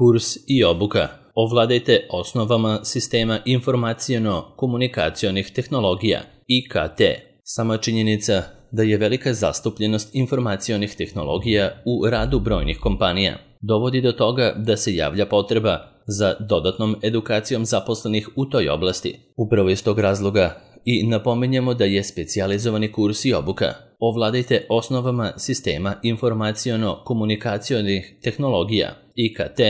Kurs i obuka. Ovladajte osnovama sistema informaciono-komunikacionih tehnologija IKT. Sama činjenica da je velika zastupljenost informacionih tehnologija u radu brojnih kompanija dovodi do toga da se javlja potreba za dodatnom edukacijom zaposlenih u toj oblasti. Upravo iz tog razloga i napominjemo da je specijalizovani kurs i obuka Ovladajte osnovama sistema informaciono-komunikacionih tehnologija IKT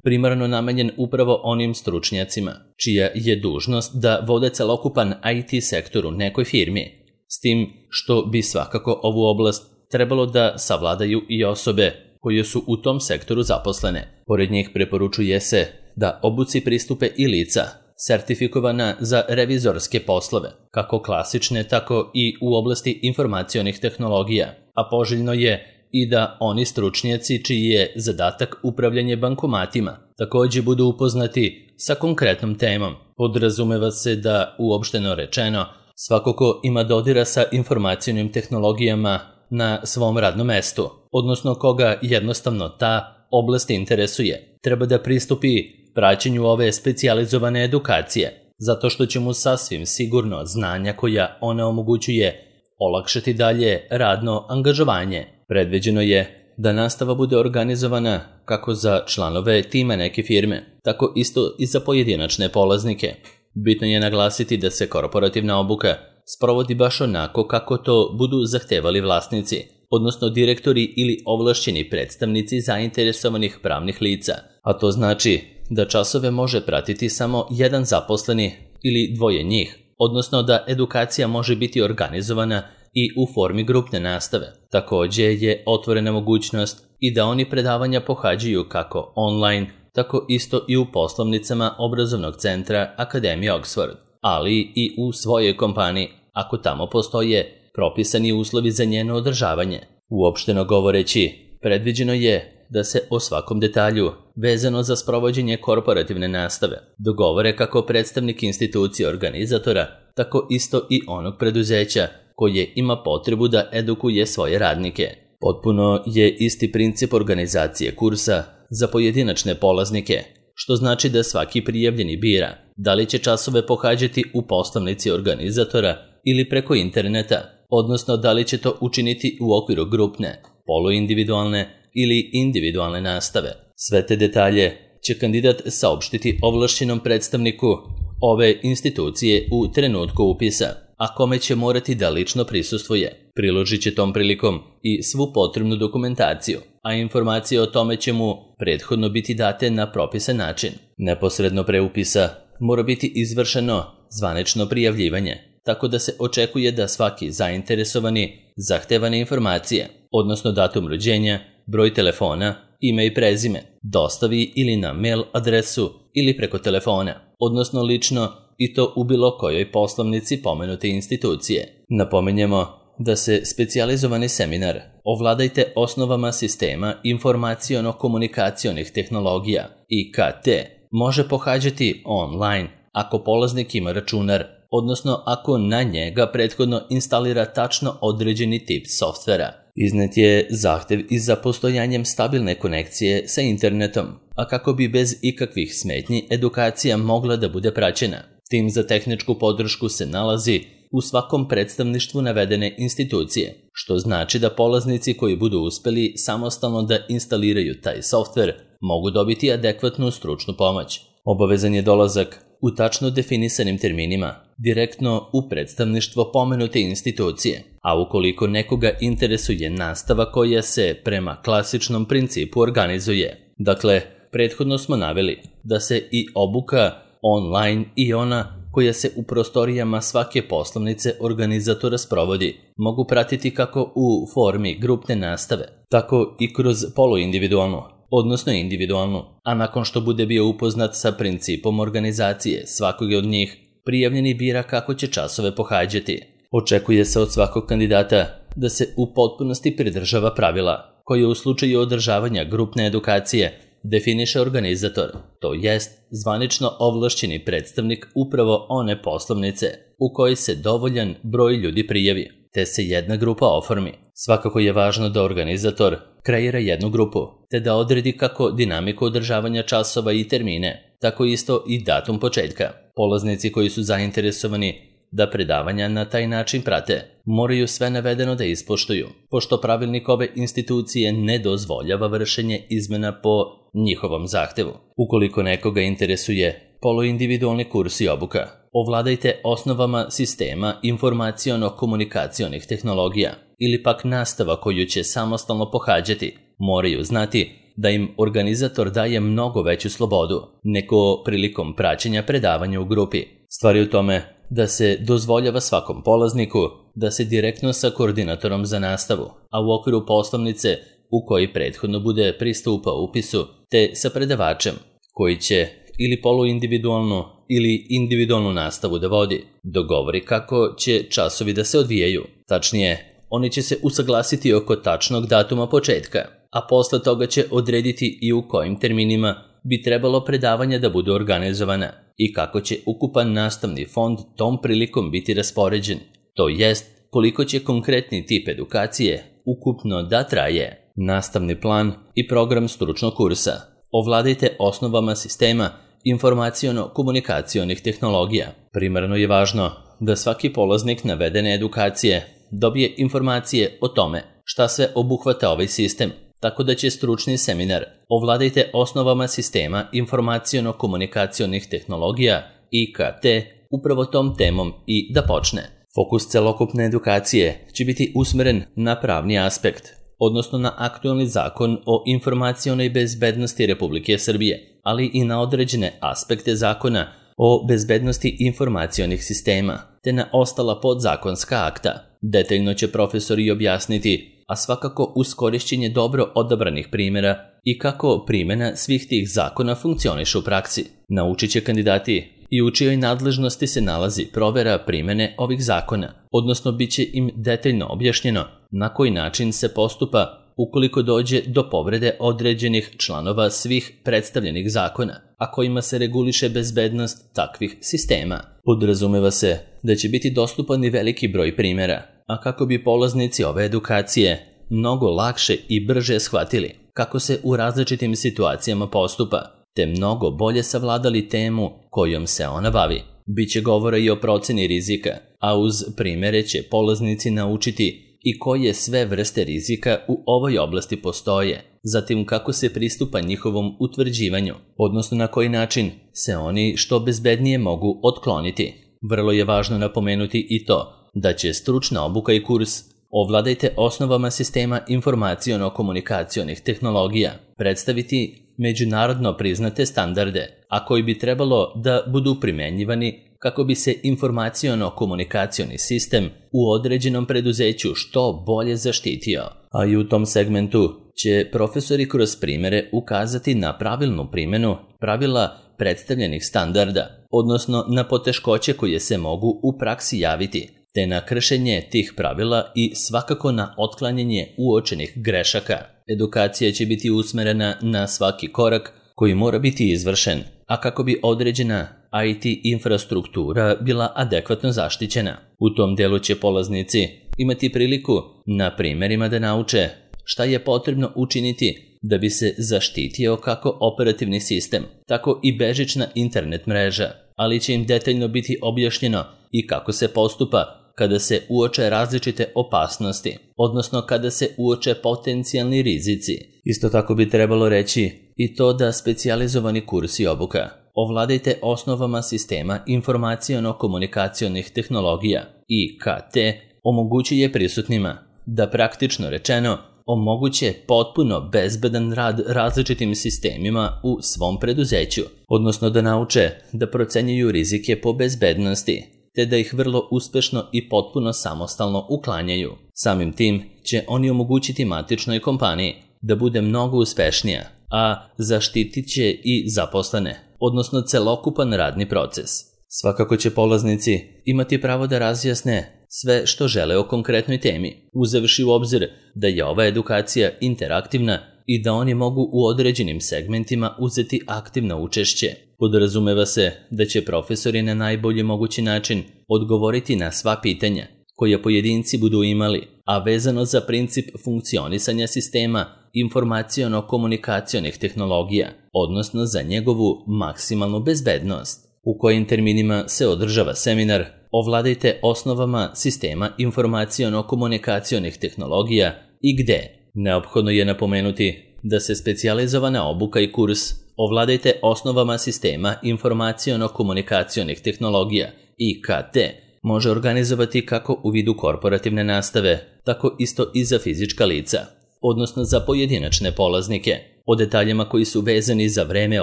primarno namenjen upravo onim stručnjacima čija je dužnost da vode celokupan IT sektor u nekoj firmi, s tim što bi svakako ovu oblast trebalo da savladaju i osobe koje su u tom sektoru zaposlene. Pored njih preporučuje se da obuci pristupe i lica sertifikovana za revizorske poslove, kako klasične, tako i u oblasti informacionih tehnologija, a poželjno je i da oni stručnjaci čiji je zadatak upravljanje bankomatima također budu upoznati sa konkretnom temom. Podrazumeva se da, uopšteno rečeno, svako ko ima dodira sa informacionim tehnologijama na svom radnom mestu, odnosno koga jednostavno ta oblast interesuje, treba da pristupi praćenju ove specijalizovane edukacije, zato što će mu sasvim sigurno znanja koja ona omogućuje olakšati dalje radno angažovanje. Predviđeno je da nastava bude organizovana kako za članove tima neke firme, tako isto i za pojedinačne polaznike. Bitno je naglasiti da se korporativna obuka sprovodi baš onako kako to budu zahtevali vlasnici, odnosno direktori ili ovlašćeni predstavnici zainteresovanih pravnih lica, a to znači da časove može pratiti samo jedan zaposleni ili dvoje njih, odnosno da edukacija može biti organizovana i u formi grupne nastave. Također je otvorena mogućnost i da oni predavanja pohađaju kako online, tako isto i u poslovnicama obrazovnog centra Akademije Oxford, ali i u svojoj kompaniji, ako tamo postoje propisani uslovi za njeno održavanje. Uopšteno govoreći, predviđeno je da se o svakom detalju vezano za sprovođenje korporativne nastave dogovore kako predstavnik institucije organizatora, tako isto i onog preduzeća koje ima potrebu da edukuje svoje radnike. Potpuno je isti princip organizacije kursa za pojedinačne polaznike, što znači da svaki prijavljeni bira da li će časove pohađati u poslovnici organizatora ili preko interneta, odnosno da li će to učiniti u okviru grupne, poluindividualne ili individualne nastave. Sve te detalje će kandidat saopštiti ovlašćenom predstavniku ove institucije u trenutku upisa, a kome će morati da lično prisustvuje. Priložit će tom prilikom i svu potrebnu dokumentaciju, a informacije o tome će mu prethodno biti date na propisan način. Neposredno pre upisa mora biti izvršeno zvanično prijavljivanje, tako da se očekuje da svaki zainteresovani zahtevane informacije, odnosno datum rođenja, broj telefona, ime i prezime, dostavi ili na mail adresu ili preko telefona, odnosno lično i to u bilo kojoj poslovnici pomenute institucije. Napominjemo da se specijalizovani seminar Ovladajte osnovama sistema informaciono-komunikacionih tehnologija IKT može pohađati online ako polaznik ima računar, odnosno ako na njega prethodno instalira tačno određeni tip softvera. Iznet je zahtev i za postojanjem stabilne konekcije sa internetom, a kako bi bez ikakvih smetnji edukacija mogla da bude praćena. Tim za tehničku podršku se nalazi u svakom predstavništvu navedene institucije, što znači da polaznici koji budu uspeli samostalno da instaliraju taj softver mogu dobiti adekvatnu stručnu pomoć. Obavezan je dolazak u tačno definisanim terminima direktno u predstavništvo pomenute institucije, a ukoliko nekoga interesuje nastava koja se prema klasičnom principu organizuje. Dakle, prethodno smo naveli da se i obuka online i ona koja se u prostorijama svake poslovnice organizatora sprovodi mogu pratiti kako u formi grupne nastave, tako i kroz poluindividualnu, odnosno individualnu, a nakon što bude bio upoznat sa principom organizacije svakog od njih, prijavljeni bira kako će časove pohađati. Očekuje se od svakog kandidata da se u potpunosti pridržava pravila koje u slučaju održavanja grupne edukacije definiše organizator, to jest zvanično ovlašćeni predstavnik upravo one poslovnice u kojoj se dovoljan broj ljudi prijavi, te se jedna grupa oformi. Svakako je važno da organizator kreira jednu grupu, te da odredi kako dinamiku održavanja časova i termine, tako isto i datum početka. Polaznici koji su zainteresovani da predavanja na taj način prate, moraju sve navedeno da ispoštuju, pošto pravilnik ove institucije ne dozvoljava vršenje izmena po njihovom zahtevu. Ukoliko nekoga interesuje poluindividualni kurs i obuka, ovladajte osnovama sistema informaciono-komunikacionih tehnologija ili pak nastava koju će samostalno pohađati, moraju znati da im organizator daje mnogo veću slobodu nego prilikom praćenja predavanja u grupi. Stvar je u tome da se dozvoljava svakom polazniku da se direktno sa koordinatorom za nastavu, a u okviru poslovnice u kojoj prethodno bude pristupao upisu, te sa predavačem koji će ili poluindividualnu ili individualnu nastavu da vodi, dogovori kako će časovi da se odvijaju. Tačnije, oni će se usaglasiti oko tačnog datuma početka, a posle toga će odrediti i u kojim terminima bi trebalo predavanja da budu organizovana i kako će ukupan nastavni fond tom prilikom biti raspoređen, to jest koliko će konkretni tip edukacije ukupno da traje. Nastavni plan i program stručnog kursa. Ovladajte osnovama sistema informaciono-komunikacionih tehnologija. Primarno je važno da svaki polaznik navedene edukacije dobije informacije o tome šta sve obuhvata ovaj sistem, tako da će stručni seminar Ovladajte osnovama sistema informaciono-komunikacionih tehnologija IKT upravo tom temom i da počne. Fokus celokupne edukacije će biti usmeren na pravni aspekt, odnosno na aktualni zakon o informacionoj bezbednosti Republike Srbije, ali i na određene aspekte zakona o bezbednosti informacionih sistema, te na ostala podzakonska akta. Detaljno će profesori objasniti, a svakako uz korišćenje dobro odabranih primjera i kako primjena svih tih zakona funkcioniše u praksi. Naučit će kandidati i u čijoj nadležnosti se nalazi provera primjene ovih zakona, odnosno bit će im detaljno objašnjeno na koji način se postupa ukoliko dođe do povrede određenih članova svih predstavljenih zakona, a kojima se reguliše bezbednost takvih sistema. Podrazumeva se da će biti dostupan i veliki broj primjera, a kako bi polaznici ove edukacije mnogo lakše i brže shvatili kako se u različitim situacijama postupa, te mnogo bolje savladali temu kojom se ona bavi. Biće govora i o proceni rizika, a uz primjere će polaznici naučiti i koje sve vrste rizika u ovoj oblasti postoje, zatim kako se pristupa njihovom utvrđivanju, odnosno na koji način se oni što bezbednije mogu otkloniti. Vrlo je važno napomenuti i to da će stručna obuka i kurs Ovladajte osnovama sistema informaciono-komunikacionih tehnologija predstaviti međunarodno priznate standarde, a koji bi trebalo da budu primenjivani kako bi se informaciono-komunikacioni sistem u određenom preduzeću što bolje zaštitio. A i u tom segmentu će profesori kroz primjere ukazati na pravilnu primjenu pravila predstavljenih standarda, odnosno na poteškoće koje se mogu u praksi javiti, te na kršenje tih pravila i svakako na otklanjanje uočenih grešaka. Edukacija će biti usmerena na svaki korak koji mora biti izvršen, a kako bi određena IT infrastruktura bila adekvatno zaštićena. U tom delu će polaznici imati priliku na primjerima da nauče šta je potrebno učiniti da bi se zaštitio kako operativni sistem, tako i bežična internet mreža, ali će im detaljno biti objašnjeno i kako se postupa kada se uoče različite opasnosti, odnosno kada se uoče potencijalni rizici. Isto tako bi trebalo reći i to da specijalizovani kurs i obuka Ovladajte osnovama sistema informaciono-komunikacionih tehnologija IKT omogućuje prisutnima da praktično rečeno omoguće potpuno bezbedan rad različitim sistemima u svom preduzeću, odnosno da nauče da procenjuju rizike po bezbednosti, te da ih vrlo uspešno i potpuno samostalno uklanjaju. Samim tim će oni omogućiti matičnoj kompaniji da bude mnogo uspešnija, a zaštitit će i zaposlene, odnosno celokupan radni proces. Svakako će polaznici imati pravo da razjasne sve što žele o konkretnoj temi, uzevši u obzir da je ova edukacija interaktivna i da oni mogu u određenim segmentima uzeti aktivno učešće. Podrazumeva se da će profesori na najbolji mogući način odgovoriti na sva pitanja koje pojedinci budu imali, a vezano za princip funkcionisanja sistema informaciono-komunikacionih tehnologija, odnosno za njegovu maksimalnu bezbednost. U kojim terminima se održava seminar Ovladajte osnovama sistema informaciono-komunikacionih tehnologija i gde. Neophodno je napomenuti da se specijalizovana obuka i kurs Ovladajte osnovama sistema informaciono-komunikacionih tehnologija IKT može organizovati kako u vidu korporativne nastave, tako isto i za fizička lica, odnosno za pojedinačne polaznike, o detaljima koji su vezani za vreme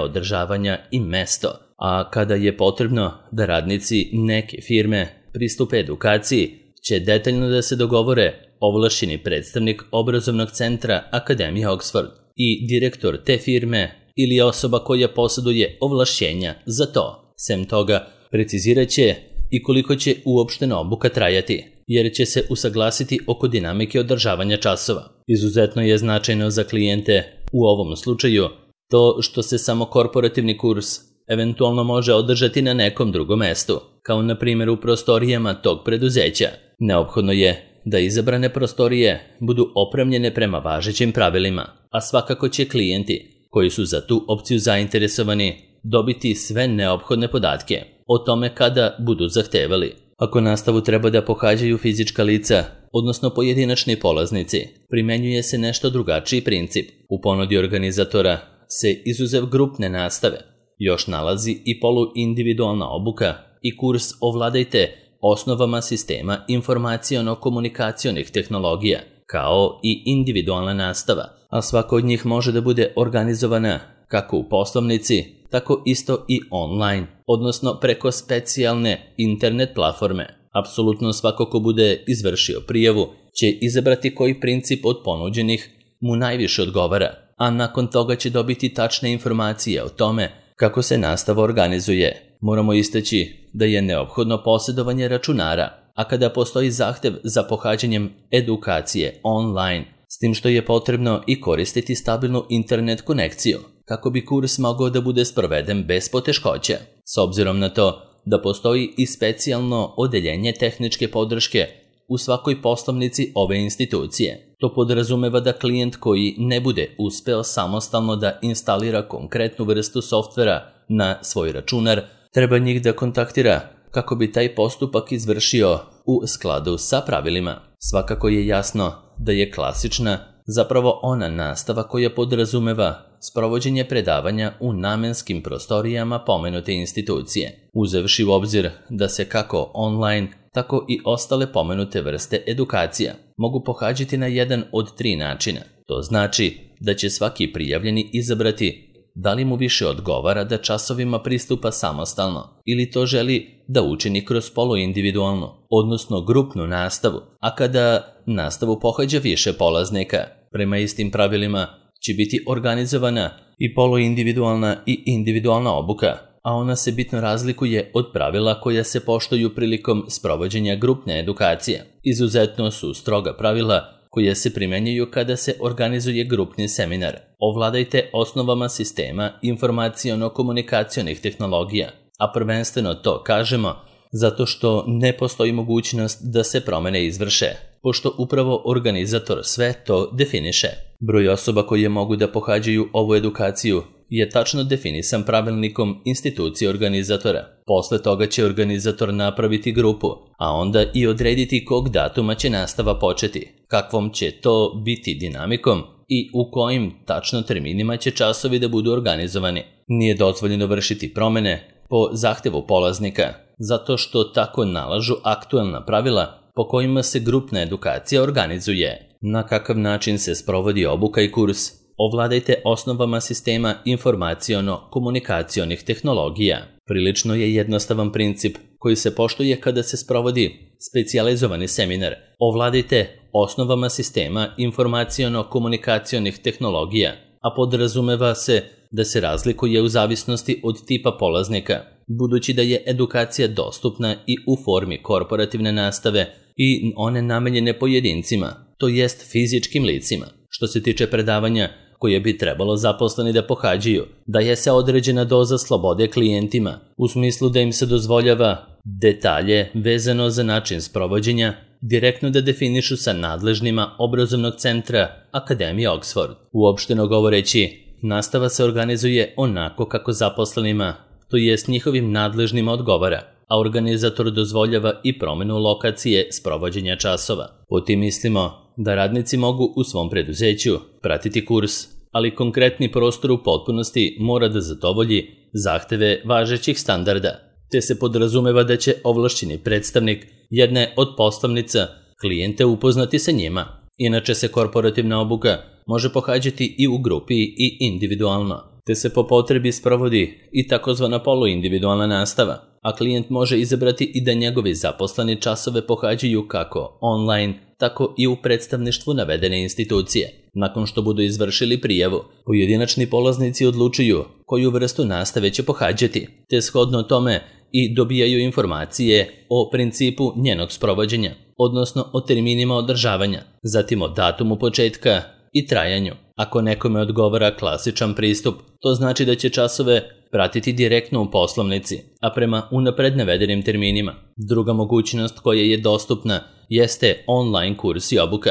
održavanja i mesto, a kada je potrebno da radnici neke firme pristupe edukaciji, će detaljno da se dogovore ovlašćeni predstavnik obrazovnog centra Akademije Oxford i direktor te firme ili osoba koja posjeduje ovlašćenja za to. Sem toga, precizirat će i koliko će uopštena obuka trajati, jer će se usaglasiti oko dinamike održavanja časova. Izuzetno je značajno za klijente u ovom slučaju to što se samo korporativni kurs eventualno može održati na nekom drugom mestu, kao na primjer u prostorijama tog preduzeća. Neophodno je da izabrane prostorije budu opremljene prema važećim pravilima, a svakako će klijenti koji su za tu opciju zainteresovani dobiti sve neophodne podatke o tome kada budu zahtevali. Ako nastavu treba da pohađaju fizička lica, odnosno pojedinačni polaznici, primenjuje se nešto drugačiji princip. U ponudi organizatora se izuzev grupne nastave još nalazi i poluindividualna obuka i kurs Ovladajte osnovama sistema informaciono-komunikacionih tehnologija, kao i individualna nastava, a svaka od njih može da bude organizovana kako u poslovnici, tako isto i online, odnosno preko specijalne internet platforme. Apsolutno svako ko bude izvršio prijavu će izabrati koji princip od ponuđenih mu najviše odgovara, a nakon toga će dobiti tačne informacije o tome kako se nastava organizuje. Moramo istaći da je neophodno posjedovanje računara, a kada postoji zahtev za pohađanjem edukacije online, s tim što je potrebno i koristiti stabilnu internet konekciju, kako bi kurs mogao da bude sproveden bez poteškoća. S obzirom na to da postoji i specijalno odeljenje tehničke podrške u svakoj poslovnici ove institucije. To podrazumeva da klijent koji ne bude uspeo samostalno da instalira konkretnu vrstu softvera na svoj računar, treba njih da kontaktira kako bi taj postupak izvršio u skladu sa pravilima. Svakako je jasno da je klasična zapravo ona nastava koja podrazumeva sprovođenje predavanja u namenskim prostorijama pomenute institucije, uzevši u obzir da se kako online, tako i ostale pomenute vrste edukacija mogu pohađati na jedan od 3 načina. To znači da će svaki prijavljeni izabrati da li mu više odgovara da časovima pristupa samostalno ili to želi da učini kroz poluindividualnu, odnosno grupnu nastavu, a kada nastavu pohađa više polaznika. Prema istim pravilima će biti organizovana i poluindividualna i individualna obuka, a ona se bitno razlikuje od pravila koja se poštuju prilikom sprovođenja grupne edukacije. Izuzetno su stroga pravila koje se primenjuju kada se organizuje grupni seminar. Ovladajte osnovama sistema informaciono-komunikacionih tehnologija, a prvenstveno to kažemo zato što ne postoji mogućnost da se promene izvrše, pošto upravo organizator sve to definiše. Broj osoba koje mogu da pohađaju ovu edukaciju je tačno definisan pravilnikom institucije organizatora. Posle toga će organizator napraviti grupu, a onda i odrediti kog datuma će nastava početi, kakvom će to biti dinamikom i u kojim tačno terminima će časovi da budu organizovani. Nije dozvoljeno vršiti promene po zahtevu polaznika, zato što tako nalažu aktuelna pravila po kojima se grupna edukacija organizuje. Na kakav način se sprovodi obuka i kurs? Ovladajte osnovama sistema informaciono-komunikacionih tehnologija. Prilično je jednostavan princip koji se poštuje kada se sprovodi specijalizovani seminar. Ovladajte osnovama sistema informaciono-komunikacionih tehnologija, a podrazumeva se da se razlikuje u zavisnosti od tipa polaznika, budući da je edukacija dostupna i u formi korporativne nastave i one namenjene pojedincima, to jest fizičkim licima. Što se tiče predavanja koje bi trebalo zaposleni da pohađaju, daje se određena doza slobode klijentima, u smislu da im se dozvoljava detalje vezano za način sprovođenja direktno da definišu sa nadležnima obrazovnog centra Akademije Oxford. Uopšteno govoreći, nastava se organizuje onako kako zaposlenima, to jest njihovim nadležnima odgovara, a organizator dozvoljava i promenu lokacije sprovođenja časova. Po tim mislimo da radnici mogu u svom preduzeću pratiti kurs, ali konkretni prostor u potpunosti mora da zadovolji zahteve važećih standarda, te se podrazumeva da će ovlašćeni predstavnik jedne od postavnica klijente upoznati sa njima. Inače se korporativna obuka može pohađati i u grupi i individualno, te se po potrebi sprovodi i takozvana poluindividualna nastava, a klijent može izabrati i da njegovi zaposleni časove pohađaju kako online, tako i u predstavništvu navedene institucije. Nakon što budu izvršili prijavu, pojedinačni polaznici odlučuju koju vrstu nastave će pohađati, te shodno tome i dobijaju informacije o principu njenog sprovođenja, odnosno o terminima održavanja, zatim o datumu početka i trajanju. Ako nekome odgovara klasičan pristup, to znači da će časove pratiti direktno u poslovnici, a prema unapred navedenim terminima. Druga mogućnost koja je dostupna jeste online kurs i obuka.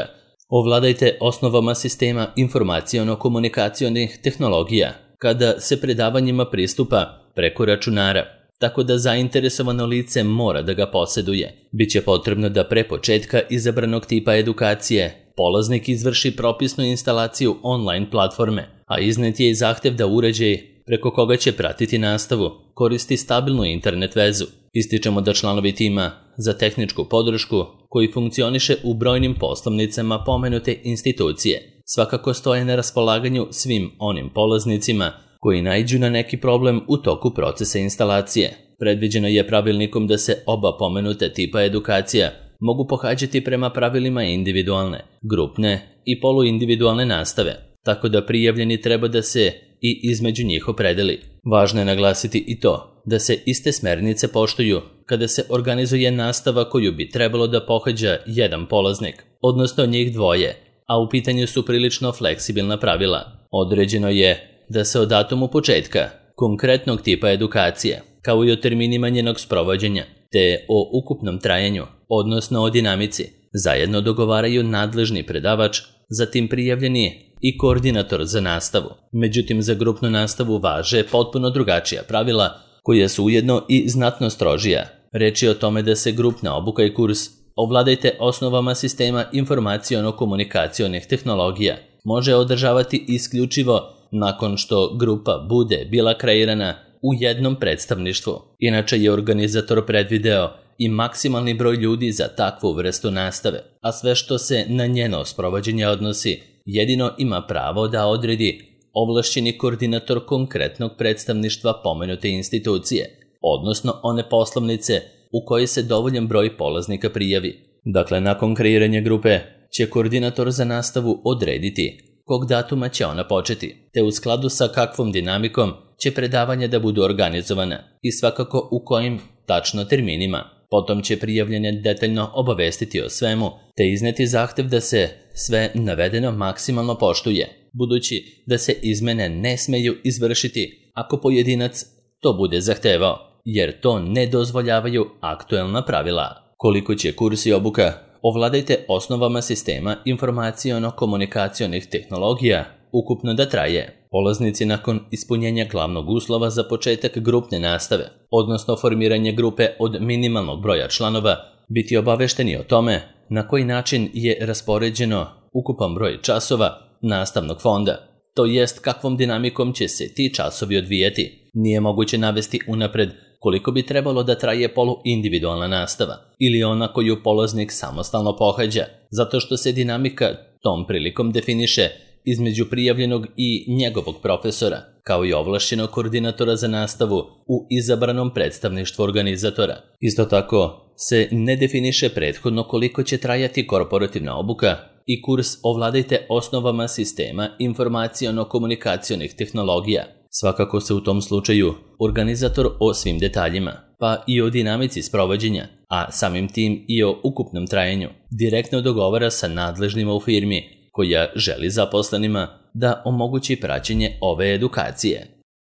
Ovladajte osnovama sistema informaciono-komunikacionih tehnologija kada se predavanjima pristupa preko računara, tako da zainteresovano lice mora da ga posjeduje. Biće potrebno da pre početka izabranog tipa edukacije polaznik izvrši propisnu instalaciju online platforme, a iznet je i zahtev da uređaj preko koga će pratiti nastavu koristi stabilnu internet vezu. Ističemo da članovi tima za tehničku podršku, koji funkcioniše u brojnim poslovnicama pomenute institucije, svakako stoje na raspolaganju svim onim polaznicima koji naiđu na neki problem u toku procesa instalacije. Predviđeno je pravilnikom da se oba pomenute tipa edukacija mogu pohađati prema pravilima individualne, grupne i poluindividualne nastave, tako da prijavljeni treba da se i između njih opredeli. Važno je naglasiti i to da se iste smernice poštuju kada se organizuje nastava koju bi trebalo da pohađa jedan polaznik, odnosno njih dvoje, a u pitanju su prilično fleksibilna pravila. Određeno je da se o datumu početka konkretnog tipa edukacije, kao i o terminima njenog sprovođenja, te o ukupnom trajanju, odnosno o dinamici, zajedno dogovaraju nadležni predavač, zatim prijavljeni i koordinator za nastavu. Međutim, za grupnu nastavu važe potpuno drugačija pravila, koja su ujedno i znatno strožija. Reč je o tome da se grupna obuka i kurs Ovladajte osnovama sistema informaciono-komunikacionih tehnologija može održavati isključivo nakon što grupa bude bila kreirana u jednom predstavništvu. Inače je organizator predvideo i maksimalni broj ljudi za takvu vrstu nastave, a sve što se na njeno sprovođenje odnosi jedino ima pravo da odredi ovlašćeni koordinator konkretnog predstavništva pomenute institucije, odnosno one poslovnice u kojoj se dovoljan broj polaznika prijavi. Dakle, nakon kreiranja grupe će koordinator za nastavu odrediti kog datuma će ona početi, te u skladu sa kakvom dinamikom će predavanja da budu organizovana i svakako u kojim tačno terminima. Potom će prijavljene detaljno obavestiti o svemu, te izneti zahtev da se sve navedeno maksimalno poštuje, budući da se izmene ne smeju izvršiti ako pojedinac to bude zahtevao, jer to ne dozvoljavaju aktuelna pravila. Koliko će kurs i obuka Ovladajte osnovama sistema informaciono-komunikacionih tehnologija ukupno da traje? Polaznici nakon ispunjenja glavnog uslova za početak grupne nastave, odnosno formiranje grupe od minimalnog broja članova, biti obavešteni o tome na koji način je raspoređeno ukupan broj časova nastavnog fonda, to jest kakvom dinamikom će se ti časovi odvijati. Nije moguće navesti unapred koliko bi trebalo da traje poluindividualna nastava ili ona koju polaznik samostalno pohađa, zato što se dinamika tom prilikom definiše između prijavljenog i njegovog profesora, kao i ovlašćenog koordinatora za nastavu u izabranom predstavništvu organizatora. Isto tako se ne definiše prethodno koliko će trajati korporativna obuka i kurs Ovladajte osnovama sistema informaciono-komunikacionih tehnologija. Svakako se u tom slučaju organizator o svim detaljima, pa i o dinamici sprovođenja, a samim tim i o ukupnom trajanju, direktno dogovara sa nadležnima u firmi koja želi zaposlenima da omogući praćenje ove edukacije.